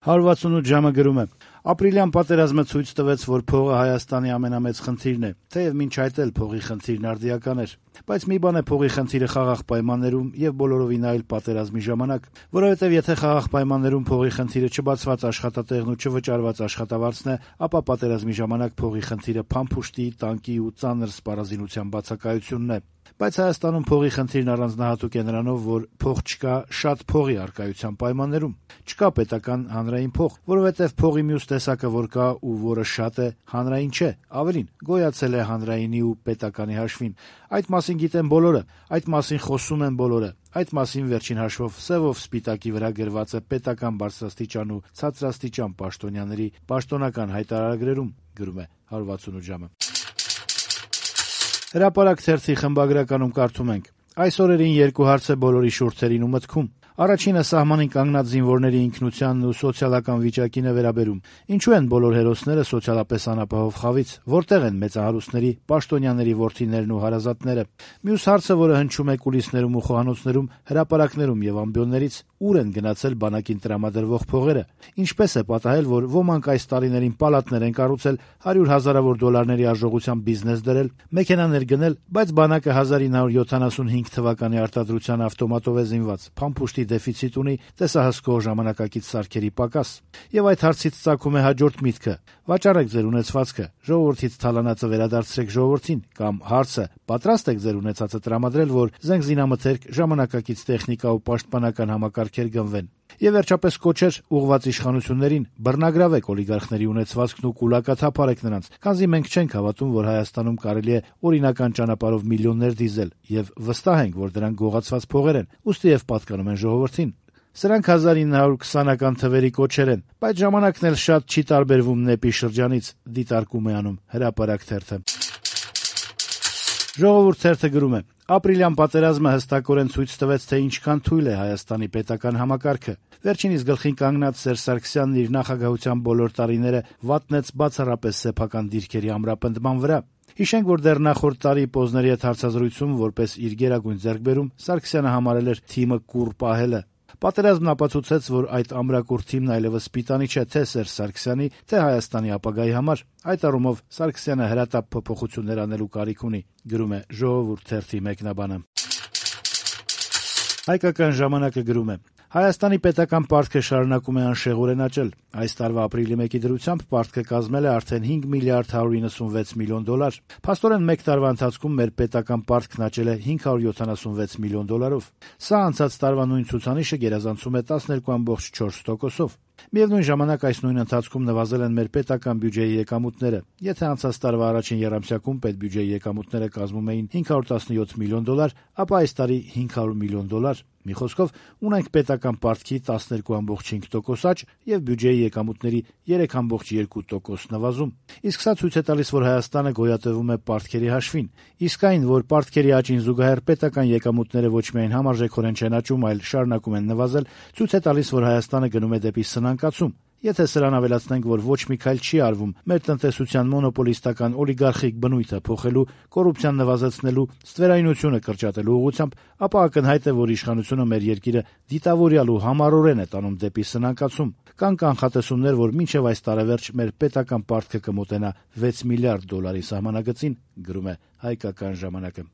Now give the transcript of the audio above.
168 ժամը գրում է. ապրիլյան պատերազմը ցույց տվեց, որ փողը Հայաստանի ամենամեծ խնդիրն է, թեև մինչ այդ էլ փողի խնդիրն արդիական էր, բայց մի բան է փողի խնդիրը խաղաղ պայմաններում եւ բոլորովին այլ պատերազմի ժամանակ, որովհետեւ եթե խաղաղ պայմաններում փողի խնդիրը չբացված աշխատատեղն ու չվճարված աշխատավարձն է, ապա պատերազմի ժամանակ փողի խնդիրը փամփուշտի, տանկի ու ծանր սպառազինության բացակայությունն է։ Բայց Հայաստանում փողի խնդիրն առանձնահատուկ է նրանով, որ փող չկա շատ փողի առկայության պայմաններում։ Չկա պետական հանրային փող, որովհետև փողի մյուս տեսակը, որ կա ու որը շատ է, հանրային չէ, ավելին, գոյացել է հանրայինի ու պետականի հաշվին։ Այդ մասին գիտեն բոլորը, այդ մասին խոսում են բոլորը, այդ մասին վերջին հաշվով սևով սպիտակի վրա գրված է պետական բարձրաստիճան ու ցածրաստիճան պաշտոնյաների պաշտոնական հայտարարագրերում, գրում է 168 ժամը։ Հրապարակ թերթի խմբագրականում կարդում ենք. այս օրերին երկու հարց է բոլորի շուրթերին ու մտքում։ Առաջինը սահմանին կանգնած զինվորների ինքնությանն ու սոցիալական վիճակին է վերաբերում։ Ինչու են բոլոր հերոսները սոցիալապես անապահով խավից, որտեղ են մեծահարուստների, պաշտոնյաների որդիներն ու հարազատները։ Մյուս հարցը, որը հնչում է կուլիսներում ու խոհանոցներում, հրապարակներում եւ ամբիոններից, ուր են գնացել բանակին տրամադրվող փողերը։ Ինչպես է պատահել, որ ոմանք այս տարիներին պալատներ են կառուցել, 100 հազարավոր դոլարների արժողությամբ բիզնես դրել, մեքենաներ գնել, բայց բանակը 1975 թվականի արտադրության ավտոմատով է զինված, փամփուշտի դեֆիցիտ ունի, տեսահսկող ժամանակակից սարքերի պակաս։ Եվ այդ հարցից ծագում է հաջորդ միտքը. վաճառեք ձեր ունեցվածքը, ժողովրդից թալանածը վերադարձրեք ժողովրդին, կամ հարցը՝ պատրաստ եք ձեր ունեցածը տրամադրել, որ զենգզինամթերք, ժամանակակից տեխնիկա ու պաշտպանական համակարգեր գնվեն։ Եվ վերջապես կոչեր ուղղված իշխանություններին՝ բռնագրավեք օլիգարխների ունեցվածքն ու կուլակաթափարեք նրանց, քանզի մենք չենք հավատում, որ Հայաստանում կարելի է օրինական ճանապարհով միլիոններ դիզել, եւ վստահ ենք, որ դրանք գողացված փողեր են, ուստի եւ պատկանում են ժողովրդին։ Սրանք 1920-ական թվերի կոչեր են, բայց ժամանակն էլ շատ չի տարբերվում նեպի շրջանից, դիտարկում է անում Հրապարակ թերթը։ Ժողովուրդ թերթը գրում է. ապրիլյան պատերազմը հստակորեն ցույց տվեց, թե ինչքան թույլ է Հայաստանի պետական համակարգը։ Վերջինիս գլխին կանգնած Սերժ Սարգսյանն իր նախագահության բոլոր տարիները վատնեց բացառապես սեփական դիրքերի ամրապնդման վրա։ Հիշենք, որ դեռ նախորդ տարի Պոզների հետ հարցազրույցում որպես իր գերագույն ձեռքբերում Սարգսյանը համարել էր թիմը կուռ պահելը։ Պատերազմն ապացուցեց, որ այդ ամրակուռ թիմն այլևս սպիտանի չէ թե Սերժ Սարգսյանի, թե Հայաստանի ապագայի համար։ Այդ առումով Սարգսյանը հրատապ փոփոխություններ անելու կարիք ունի, գրում է Ժողովուրդ թերթի մեկնաբանը։ Հայկական ժամանակը գրում է. Հայաստանի պետական պարտքը շարունակում է անշեղորեն աճել։ Այս տարվա ապրիլի 1-ի դրությամբ պարտքը կազմել է արդեն 5 միլիարդ 196 միլիոն դոլար։ Փաստորեն մեկ տարվա ընթացքում մեր պետական պարտքն աճել է 576 միլիոն դոլարով։ Սա անցած տարվա նույն ցուցանիշը գերազանցում է 12.4%-ով։ Միևնույն ժամանակ այս նույն ընթացքում նվազել են մեր պետական բյուջեի եկամուտները։ Եթե անցած տարվա առաջին եռամսյակում պետբյուջեի եկամուտները կազմում էին 517 միլիոն դոլար, ապա այս տարի 500 միլիոն դոլար։ Մի խոսքով, ունենք պետական պարտքի 12.5% աճ եւ բյուջեի եկամուտների 3.2% նվազում։ Իսկ սա ցույց է տալիս, որ Հայաստանը գոյատևում է պարտքերի հաշվին։ Իսկ այն, որ պարտքերի աճին զուգահեռ պետական եկամուտները ոչ միայն համարժեքորեն չեն աճում, այլ շարունակում են նվազել, ցույց է տալիս, որ Հայաստանը գնում է դեպի սնանկացում։ Եթե սրան ավելացնենք, որ ոչ մի քայլ չի արվում մեր տնտեսության մոնոպոլիստական օլիգարխիկ բնույթը փոխելու, կոռուպցիան նվազեցնելու, ստվերայնությունը կրճատելու ուղղությամբ, ապա ակնհայտ է, որ իշխանությունը մեր երկիրը դիտավորյալ ու համառորեն է տանում դեպի սնանկացում։ Կան կանխատեսումներ, որ մինչև այս տարեվերջ մեր պետական պարտքը կմոտենա 6 միլիարդ դոլարի սահմանագծին, գրում է Հայկական ժամանակը։